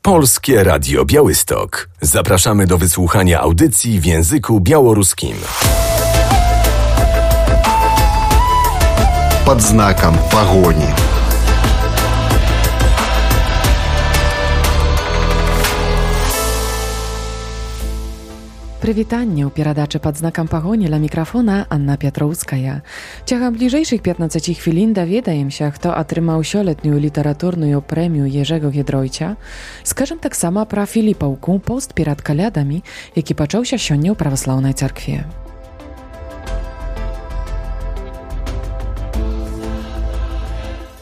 Polskie Radio Białystok. Zapraszamy do wysłuchania audycji w języku białoruskim. Под знаком погони. Прывітанне ў перадачы пад знакам пагоні ля мікрафона Анна Пятроўская. Цягам бліжэйшых 15 хвілін даведаемся, хто атрымаў сёлетнюю літаратурную прэмію Ежэго Гідройця. Скажам таксама пра Філіпаўку, пост перад калядамі, які пачаўся сёння ў праваслаўнай царкве.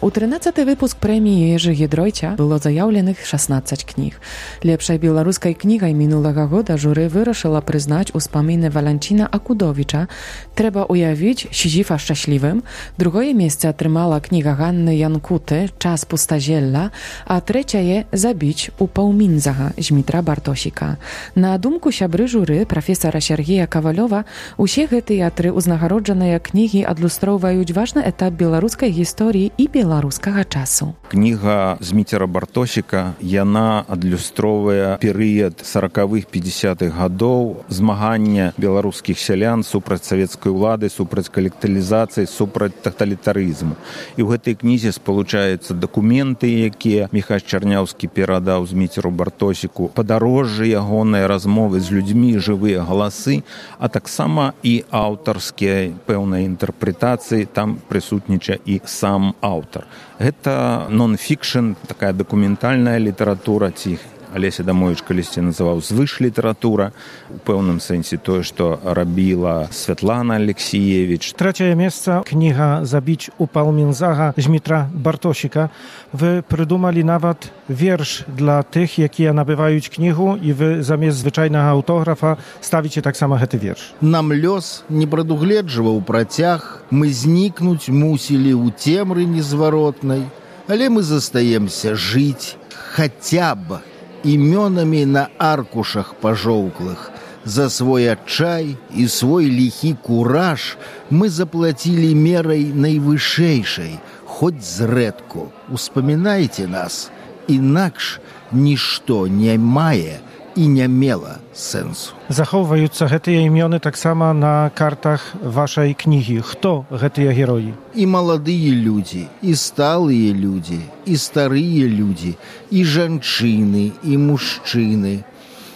У 13-й выпуск прэміі Ежы Гідройця было заяўленых 16 кніг. Лепшай беларускай кнігай мінулага года журы вырашыла прызнаць успаміны Валянціна Акудовіча «Трэба уявіць Сізіфа шчаслівым». Другое месца атрымала кніга Ганны Янкуты «Час пустазелля», а трэцяе «Забіць у Паўмінзага» Змітра Бартосіка. На думку сябры журы прафесара Сергея Кавалёва, усе гэтыя тры ўзнагароджаныя кнігі адлюстроўваюць важны этап беларускай гісторыі і беларускага часу. Кніга Зміцера Бартосіка, яна адлюстроўвае перыяд 40-х, 50-х гадоў змагання беларускіх сялян супраць савецкай улады, супраць калектывізацыі, супраць таталітарызму. І ў гэтай кнізе спалучаюцца дакументы, якія Міхась Чарняўскі перадаў Зміцеру Бартосіку, падарожжы ягоныя, размовы з людзьмі, жывыя галасы, а таксама і аўтарскія пэўныя інтэрпрэтацыі, там прысутнічае і сам аўтар. Гэта нон-фікшн, такая дакументальная літаратура, ці Алеся Дамовіч калісьці называў звыш-літаратура, у пэўным сэнсе тое, што рабіла Святлана Алексіевіч. Трэцяе месца кніга «Забіць у Паўмінзага» Змітра Бартосіка. Вы прыдумалі нават верш для тых, якія набываюць кнігу, і вы замест звычайнага аўтографа ставіце таксама гэты верш. Нам лёс не прадугледжваў працяг, мы знікнуць мусілі ў цемры незваротнай, але мы застаемся жыць хаця б імёнамі на аркушах пажоўклых. За свой адчай і свой ліхі кураж мы заплацілі мерай найвышэйшай, хоць зрэдку. Успамінайце нас, інакш нішто не мае і не мела сэнсу. Захоўваюцца гэтыя імёны таксама на картах вашай кнігі. Хто гэтыя героі? І маладыя людзі, і сталыя людзі, і старыя людзі, і жанчыны, і мужчыны.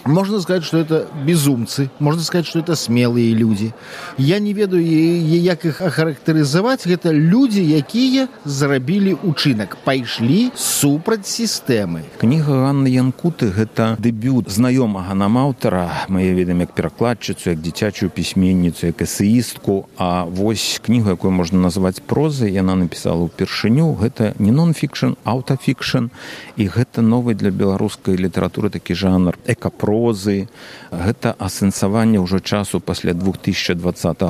Можно сказать, что это безумцы, можно сказать, что это смелые люди. Я не ведаю, як іх ахарактарызаваць. Гэта людзі, якія зрабілі учынак, пайшлі супраць сістэмы. Кніга Ганны Янкуты – гэта дэбют знаёмага нам аўтара. Мы яе ведаем як перакладчыцу, як дзіцячую пісьменніцу, як эсеістку. А вось кнігу, якую можна назваць прозай, яна напісала ўпершыню. Гэта не нон-фікшн, аўтафікшн. І гэта новы для беларускай літаратуры такі жанр экапрозы. Гэта асэнсаванне ўжо часу пасля 2020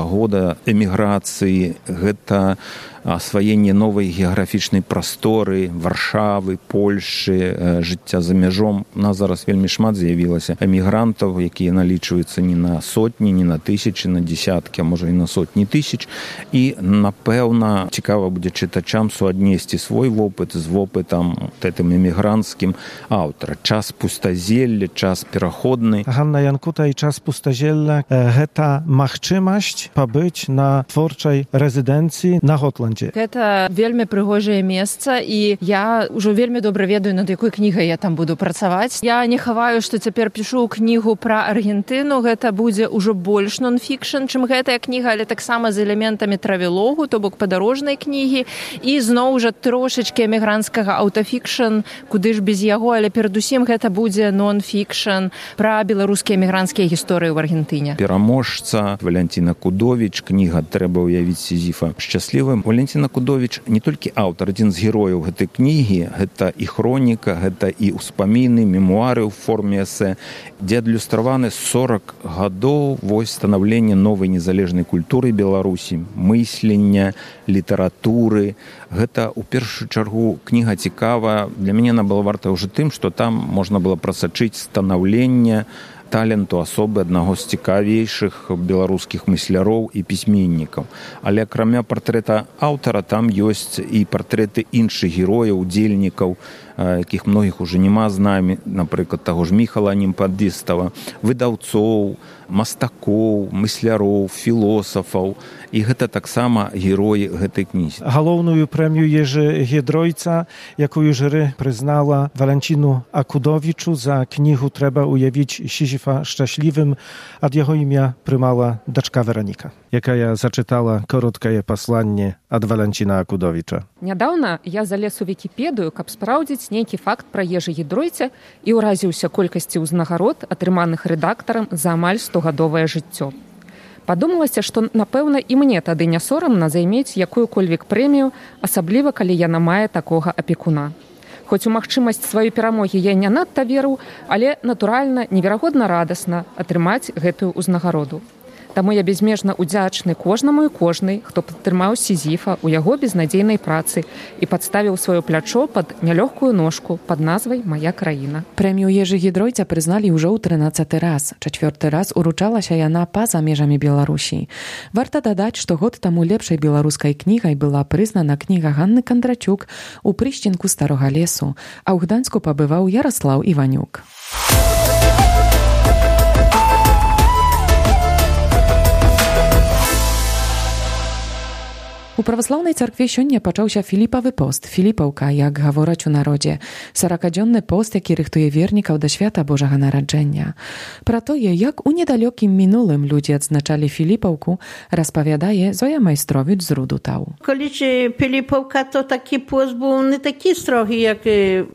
года, эміграцыі, гэта асваенне новай геаграфічнай прасторы, Варшавы, Польшчы, жыцця за мяжом. У нас зараз вельмі шмат з'явілася эмігрантаў, якія налічваюцца не на сотні, не на тысячы, на десяткі, а можа і на сотні тысяч. І, напэўна, цікава будзе чытачам суаднесці свой вопыт з вопытам гэтым эмігранцкім аўтара. Час пустазелля, час пераходны. Ганна Янкута і час пустазелля – гэта магчымасць пабыць на творчай рэзідэнцыі на Готландзе. Гэта вельмі прыгожае месца, і я ўжо вельмі добра ведаю, над якой кнігай я там буду працаваць. Я не хаваю, што цяпер пішу кнігу пра Аргентыну. Гэта будзе ўжо больш нон-фікшн, чым гэтая кніга, але таксама з элементамі травелогу, то бок падарожнай кнігі, і зноў жа трошачкі эмігранцкага аўтафікшн, куды ж без яго, але перадусім гэта будзе нон-фікшн пра беларускія эмігранцкія гісторыі ў Аргентыне. Пераможца Валянціна Акудовіч, кніга «Трэба уявіць Сізіфа шчаслівым». Валянцін Акудовіч не толькі аўтар, адзін з герояў гэтай кнігі, гэта і хроніка, гэта і ўспаміны, мемуары ў форме эсэ, дзе адлюстраваны 40 гадоў вось станаўлення новай незалежнай культуры Беларусі, мыслення, літаратуры. Гэта, у першую чаргу, кніга цікава. Для мяне она была варта ўжо тым, што там можна было прасачыць станаўленне таленту асобы аднаго з цікавейшых беларускіх мысляроў і пісьменнікаў. Але акрамя партрэта аўтара там ёсць і партрэты іншых герояў, удзельнікаў якіх многіх уже няма з намі, напрыклад, таго ж Міхала Немпадыстава, выдаўцоў, мастакоў, мысляроў, філосафаў. І гэта таксама героі гэтай кнігі. Галоўную прэмію Ежы Гідройца, якую журы прызнала Валянціну Акудовічу за кнігу «Трэба уявіць Сізіфа шчаслівым», ад яго імя прымала дачка Вероніка, якая зачытала кароткае пасланне ад Валянціна Акудовіча. Нядаўна я залез у Вікіпедыю, каб спраўдзіць нейкі факт пра Ежы Гідройца і ўразіўся колькасці ўзнагарод, атрыманых рэдактарам за амаль 100-гадовае жыццё. Падумалася, што, напэўна, і мне тады не сорамна займець якую-кольвек прэмію, асабліва, калі яна мае такога апекуна. Хоць у магчымасць сваёй перамогі я не надта веру, але, натуральна, неверагодна радасна атрымаць гэтую ўзнагароду. Таму я безмежна ўдзячны кожнаму і кожнай, хто падтрымаў Сізіфа ў яго безнадзейнай працы і падставіў сваё плячо пад нялёгкую ножку пад назвай «Мая краіна». Прэмію Ежы Гідройца прызналі ўжо ў 13-й раз. 4-й раз уручалася яна па-за межамі Беларусі. Варта дадаць, што год таму лепшай беларускай кнігай была прызнана кніга Ганны Кандрачук «У прышчынку старога лесу», а ў Гданьску пабываў Ярослаў Іванюк. У праваслаўнай царкве сёння пачаўся Філіпавы пост, Філіпаўка, як гавораць у народзе. 40-дзённы пост, які рыхтуе вернікаў да свята Божага нараджэння. Пра тое, як у недалёкім мінулым людзі адзначалі Філіпаўку, распавядае Зоя Майстровіч з Рудутаў. Коли Філіпаўка, то такі пост був не такий строгий, як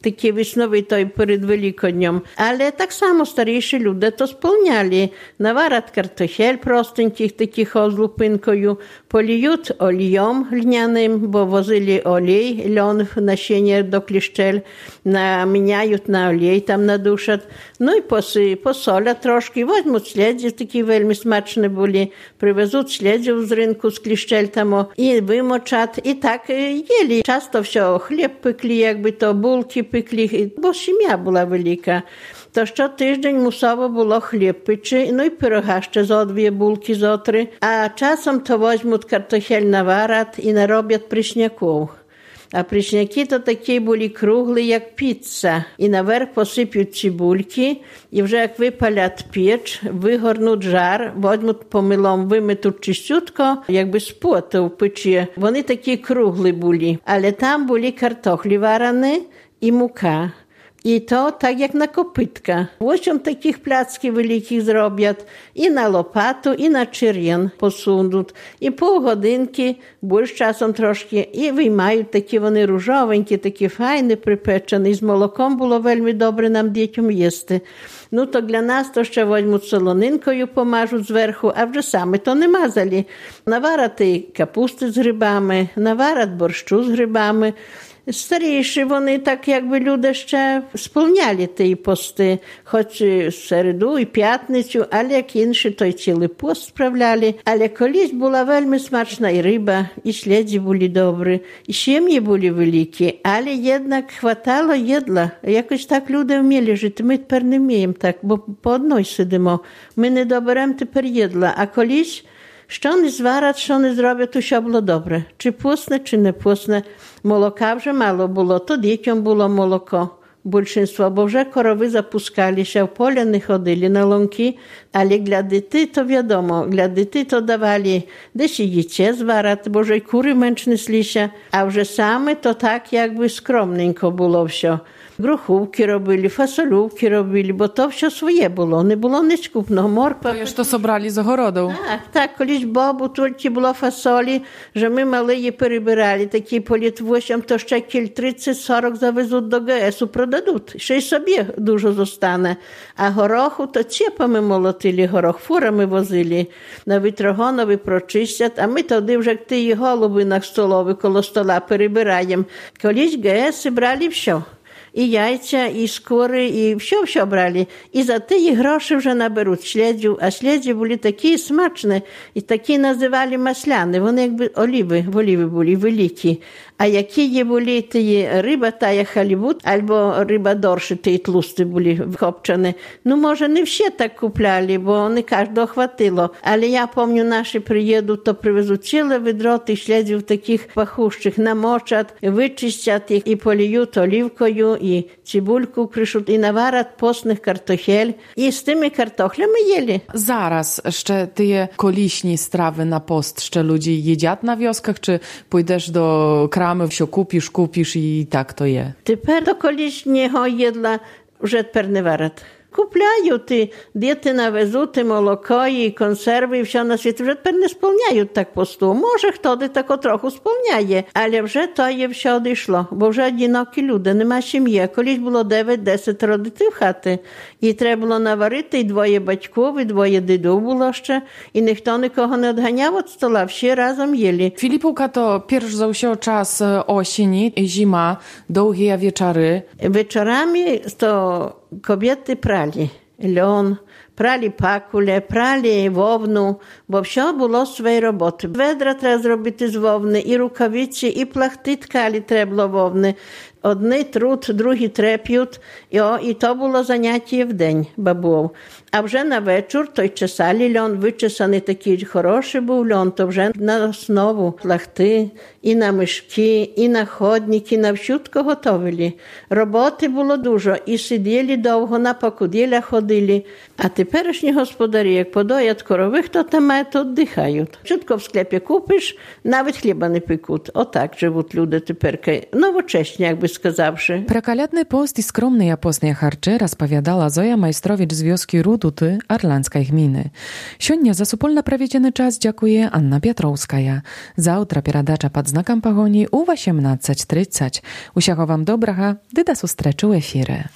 такий весновий той перед Великоднем. Але так само старіші люди то сповняли. Наварять картофель простеньких, таких з лупинкою, поліють олієм глиняним, бо возили олій, льон, насіння до кліщель, наміняють на олій, там надушать. Ну і посолять трошки, возьмуть слідзів, такі вельми смачні були, привезуть слідзів з ринку, з кліщель там, і вимочать, і так їли. Часто все, хліб пекли, якби то булки пекли, бо сім'я була велика. То щотиждень мусово було хліб печи, ну і пирога ще зо 2 булки, зо 3. А часом то возьмуть картофель наварять і нароблять пришняків. А пришняки то такі були круглі, як піца. І наверх посипють цибульки, і вже як випалять піч, вигорнуть жар, возьмуть помилом, виметуть чистютко, якби з поту в печі. Вони такі круглі були. Але там були картохлі варені і мука. І то так, як на копитка. 8 таких пляцків великих зроблять, і на лопату, і на черен посунуть. І півгодинки, більш часом трошки, і виймають такі вони ружовенькі, такі файні, припечені. З молоком було вельми добре нам дітям їсти. Ну, то для нас то ще возьмуть солонинкою, помажуть зверху, а вже саме то не мазали. Наварати капусти з грибами, наварять борщу з грибами. Старіші вони так, якби люди ще сповняли ті пости, хоч середу і п'ятницю, але як інші, то й цілий пост справляли. Але колись була вельми смачна і риба, і слідзі були добрі, і сім'ї були великі, але jednak хватало їдла. Якось так люди вміли жити, ми тепер не вміємо так, бо по одній сидимо. Ми не доберемо тепер їдла, а колись що не зварять, що не зроблять, усе було добре. Чи пусне, чи не пусне. Молока вже мало було, то дітям було молоко. Більшинство, бо вже корови запускалися, в поля не ходили на лунки, але для дітей то відомо, для дітей то давали десь і яйце зварати, бо вже й кури менш неслися, а вже саме то так, якби скромненько було все. Груховки робили, фасолювки робили, бо то все своє було, не було ніч купного, морква. To що собрали з огороду. Так, колись бабу тільки було фасолі, що ми мали її перебирали, такі по літ 8, то ще кіль 30-40 завезуть до ГСу, продадуть, ще й собі дуже зостане. А гороху, то цепами молотили горох, фурами возили, на вітрогонові прочистять, а ми тоді вже ті голуби на столові коло стола перебираємо. Колись ГСи брали все. І яйця, і скори, і все брали. І за ті гроші вже наберуть слідзів, а слідзі були такі смачні, і такі називали масляни, вони якби оліви були великі. А які були ті риба, тая халібут, або риба дорші, ті тлусті були вкопчені. Ну, може, не всі так купляли, бо не кожного хватило. Але я пам'ятаю, наші приїдуть, то привезуть ціле відро тих шлядів таких пахущих, намочать, вичистять їх і поліють олівкою, і цибульку кришуть, і наварять постних картохель. І з тими картохлями їли. Зараз ще ті колишні страви на пост, ще люди їдять на вioskach, чи пойдеш до крами, все купиш і так то є? Тепер до колишнього їдла вже тепер не варять. Купляють, і діти навезуть, і молоко, і консерви, і все на світі. Вже тепер не сповняють так посту. Може, хто де тако трохи сповняє, але вже то є все одійшло, бо вже одинокі люди, нема сім'ї. Колись було 9-10 родитів в хати, і треба було наварити, і двоє батьків, і двоє дідів було ще, і ніхто нікого не відганяв від стола, всі разом їли. Filipówka to pierwszy za się czas osieni, zima, długie wieczory. Wieczorami to kobiety prali lьон, прали пакуле, прали вовну, бо все було своєї роботи. Ведра треба зробити з вовни, і рукавиці, і плахти ткалі треба було вовни. Одні труд, другі треп'ють, і то було заняття в день бабов. А вже на вечір той чесали льон, вичесаний такий хороший був льон, то вже на основу плахти, і на мішки, і на ходники, на всютко готовили. Роботи було дуже, і сиділи довго, на покуділля ходили. А теперішні господарі, як подоять корових, то там мають, то віддихають. Чутко в склепі купиш, навіть хліба не пекуть. Отак живуть люди тепер, новочесні, як би сказавши. Про калядny post i skromne postne harcze rozpowiadała Zoja Majstrowicz z wioski Ruduty Arlanskiej gminy. Siódnia za supolna prawiedziony czas dziękuję Anna Piotrowskaja. Zawtra pieradacza pod znakiem pogoni u 18:30. Usiacho wam dobracha, dy da sustreczu efirę.